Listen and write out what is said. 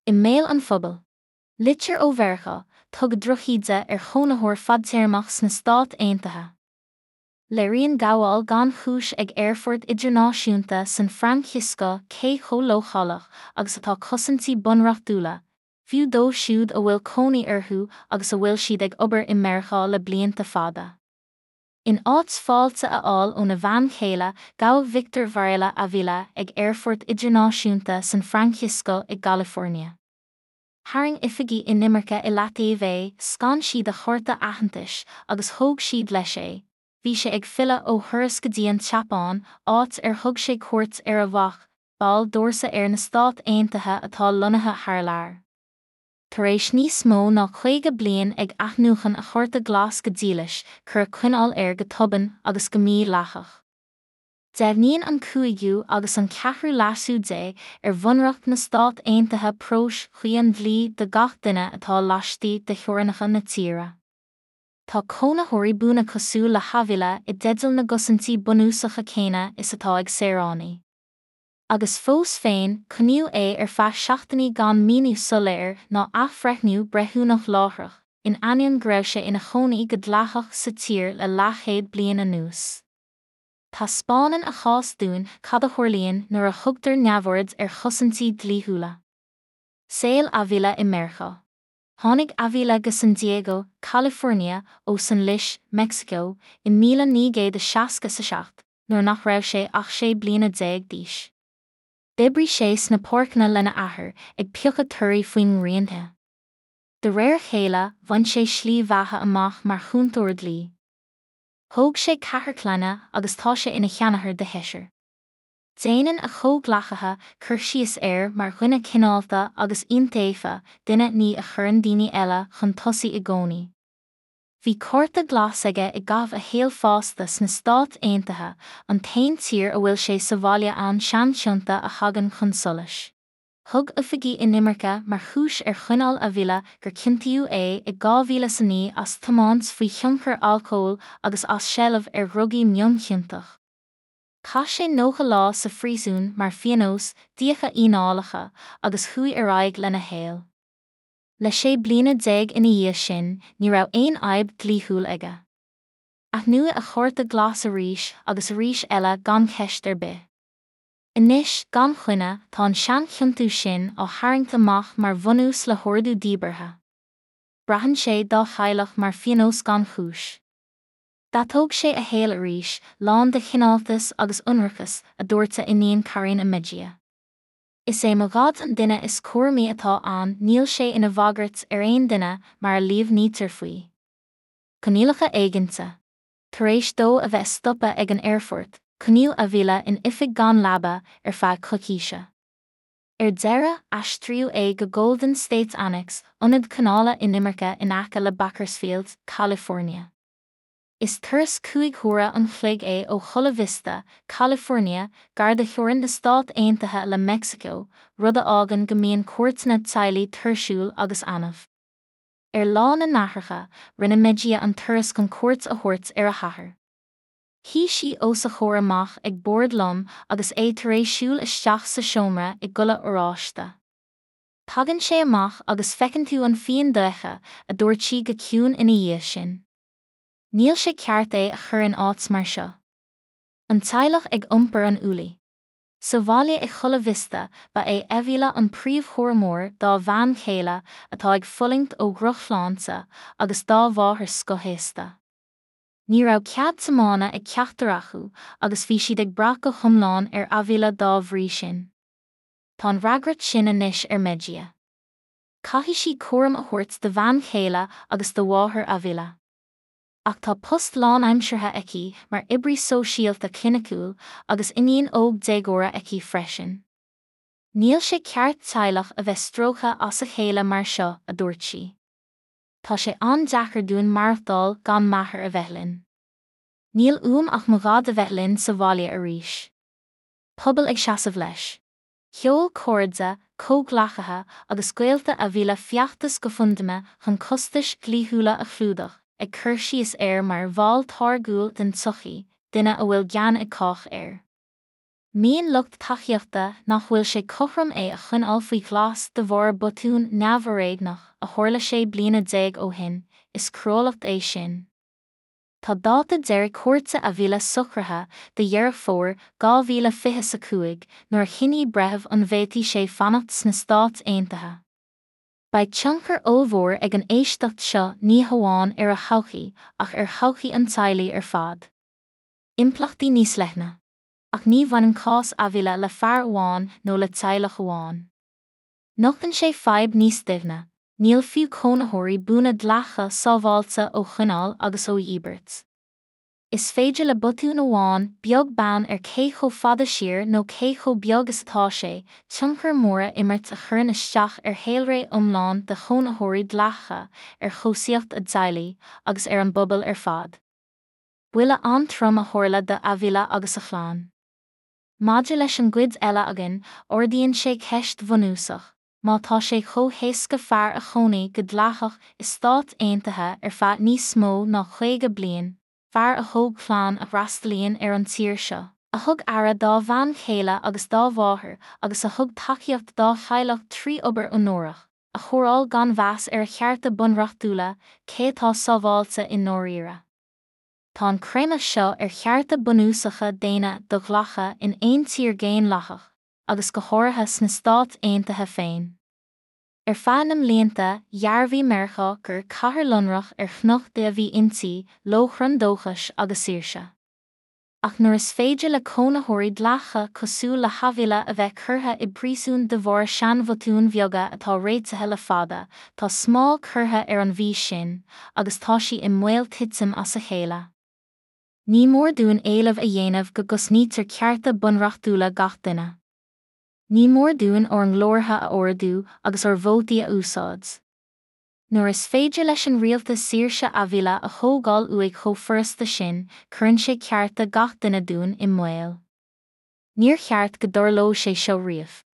I mbéal an phobail. Litir ó Mheiriceá, tugadh drochíde ar chónaitheoir fadtéarmach sna Stáit Aontaithe. Léiríonn gabháil gan chúis ag aerfort idirnáisiúnta San Francisco cé chomh leochaileach agus atá cosaintí bunreachtúla, fiú dóibh siúd a bhfuil cónaí orthu agus a bhfuil siad ag obair i Meiriceá le blianta fada. In áit fáilte a fháil óna bhean chéile, gabhadh Victor Varela Avila ag Aerfort Idirnáisiúnta San Francisco i gCalifornia. Tharraing oifigigh inimirce i leataobh é, scan siad a chárta aitheantais agus thóg siad leis é. Bhí sé ag filleadh ó thuras go dtí an tSeapáin, áit ar thug sé cuairt ar a mhac, ball d'Fhórsa Aeir na Stát Aontaithe atá lonnaithe thar lear. Tar éis níos mó ná 50 bliain ag athnuachan a chárta glas go dílis, cuireadh coinneáil air go tobann agus go mídhleathach. Deimhníonn an cúigiú agus an ceathrú leasú dé ar Bhunreacht na Stát Aontaithe próis chuí an dlí do gach duine atá laistigh de theorainneacha na tíre. Tá cónaitheoirí buana cosúil le hAvila i dteideal na gcosaintí bunúsacha céanna is atá ag saoránaigh. Agus fós féin, coinníodh é ar feadh seachtainí gan míniú soiléir ná athbhreithniú breithiúnach láithreach, in ainneoin go raibh sé ina chónaí go dleathach sa tír le leathchéad bliain anuas. Taispeánann a chás dúinn cad a tharlaíonn nuair a thugtar neamhaird ar chosaintí dlíthiúla. Saol Avila i Meiriceá. Tháinig Avila go San Diego, California ó San Luis, Meicsiceo, i 1967, nuair nach raibh sé ach 16 bliana d'aois. D'oibrigh sé sna páirceanna lena athair, ag piocadh torthaí faoin ngrian the. De réir a chéile, bhain sé slí bheatha amach mar chúntóir dlí. Thóg sé ceathrar clainne agus tá sé ina sheanathair do sheisear. Déanann a chomhghleacaithe cur síos air mar dhuine cineálta agus iontaofa, duine ní a chuireann daoine eile chun tosaigh i gcónaí. Bhí cárta glas aige i gcaitheamh a shaoil fásta sna Stáit Aontaithe, an t-aon tír a bhfuil sé sa bhaile ann seanchionta a thagann chun solais. Thug oifigigh inimirce mar chúis ar choinneáil Avila gur ciontaíodh é i 2009 as tiomáint faoi thionchar alcóil agus as seilbh ar dhrugaí mionchiontach. Chaith sé 90 lá sa phríosún mar phionós d'fhiacha fhíneálacha agus chuaigh ar aghaidh lena shaol. Le 16 bliana ina dhiaidh sin, ní raibh aon fhadhb dhlíthiúil aige. Athnuadh a chárta glas arís agus arís eile gan cheist ar bith. Anois, gan choinne, tá an seanchiontú sin á tharraingt amach mar bhunús le hordú díbeartha. Braitheann sé dá theaghlach mar phionós gan chúis. D'atóg sé a shaol arís, lán de chineáltas agus ionracas, a dúirt a iníon Karina Mejia. Is é mo dhaid an duine is cúramaí atá ann níl sé ina bhagairt ar aon duine mar a líomhnaítear faoi. Coinníollacha éiginnte. Tar éis dó a bheith stoptha ag an aerfort, coinníodh Avila in oifig gan leaba ar feadh coicíse. Ar deireadh, aistríodh é go Golden State Annex, ionad coinneála inimirce in aice le Bakersfield, California. Is turas 5 huaire an chloig é ó Chula Vista, California, gar do theorainn na Stát Aontaithe le Meicsiceo, rud a fhágann go mbíonn cuairteanna teaghlaigh tuirsiúil agus annamh. Ar Lá na nAithreacha, rinne Mejia an turas chun cuairt a thabhairt ar a hathair. Shuigh sí os a chomhair amach ag bord lom agus é tar éis siúl isteach sa seomra i gculaith oráiste. Tagann sé amach agus feiceann tú an phian dofheicthe, a dúirt sí go ciúin ina dhiaidh sin. Níl sé ceart é a chur in áit mar seo. An teaghlach ag iompar an ualaigh. Sa bhaile i Chula Vista, ba é Avila an príomhchúramóir dá bhean chéile, atá ag fulaingt ó dhrochshláinte, agus dá mháthair scothaosta. Ní raibh cead tiomána ag ceachtar acu agus bhí siad ag brath go hiomlán ar Avila dá bhrí sin. Tá an fhreagracht sin anois ar Mejia. Caithfidh sí cúram a thabhairt do bhean chéile agus do mháthair Avila. Ach tá post lánaimseartha aici mar oibrí sóisialta cliniciúil agus iníon óg déagóra aici freisin. Níl sé ceart teaghlach a bheith stróicthe as a chéile mar seo, a dúirt sí. Tá sé an-deacair dúinn maireachtáil gan m'athair a bheith linn. Níl uaim ach mo dhaid a bheith linn sa bhaile arís. Pobal ag seasamh leis. Sheol cairde, comhghleacaithe agus gaolta Avila feachtas GoFundMe chun costais dhlíthiúla a chlúdach, ag cur síos air mar bhall táirgiúil den tsochaí, duine a bhfuil gean ag cách air. Maíonn lucht tacaíochta nach bhfuil sé cothrom é a choinneáil faoi ghlas de bharr botún neamhfhoréigneach a tharla 16 bliana ó shin, is cruálacht é sin. Tá dáta deiridh cúirte Avila socraithe do Dheireadh Fómhair 2025, nuair a chinnfidh breitheamh an bhféadfaidh sé fanacht sna Stáit Aontaithe. Beidh tionchar ollmhór ag an éisteacht seo ní hamháin ar a thodhchaí ach ar thodhchaí an teaghlaigh ar fad. Impleachtaí níos leithne. Ach ní bhaineann cás Avila le fear amháin nó le teaghlach amháin. Nochtann sé fadhb níos doimhne, níl fiú cónaitheoirí buana dleathacha sábháilte ó choinneáil agus ó dhíbirt. Is féidir le botún amháin, beag beann ar cé chomh fada siar nó cé chomh beag is atá sé, tionchar mór a imirt a chuireann isteach ar shaolré iomlán de chónaitheoirí dleathacha, ar chobhsaíocht a dteaghlaigh, agus ar an bpobal ar fad. Buille an-trom a tharla do Avila agus a chlann. Maidir leis an gcuid eile againn, ardaíonn sé ceist bhunúsach, má tá sé chomh héasca fear a chónaigh go dleathach i Stáit Aontaithe ar feadh níos mó ná 50 bliain, fear a thóg clann a fhreastalaíonn ar an tír seo, a thug aire dá bhean chéile agus dá mháthair agus a thug tacaíocht dá theaghlach trí obair onórach, a chóireáil gan mheas ar a chearta bunreachtúla, cé atá sábháilte i ndáiríre? Tá an creimeadh seo ar chearta bunúsacha daonna do-ghlactha in aon tír dhaonlathach, agus go háirithe sna Stáit Aontaithe féin. Ar feadh na mblianta, dhearbhaigh Meiriceá gur cathair lonrach ar chnoc Dé a bhí inti, lóchrann dóchais agus saoirse. Ach nuair is féidir le cónaitheoirí dleathacha cosúil le hAvila a bheith curtha i bpríosún de bharr seanbhotúin bheaga atá réitithe le fada, tá smál curtha ar an bhfís sin, agus tá sí i mbaol titim as a chéile. Ní mór dúinn éileamh a dhéanamh go gcosnaítear cearta bunreachtúla gach duine. Ní mór dúinn ár nglórtha a ardú agus ár vótaí a úsáid. Nuair is féidir leis an rialtas saoirse Avila a thógáil uaidh chomh furasta sin, cuireann sé cearta gach duine dúinn i mbaol. Níor cheart go dtarlódh sé seo riamh.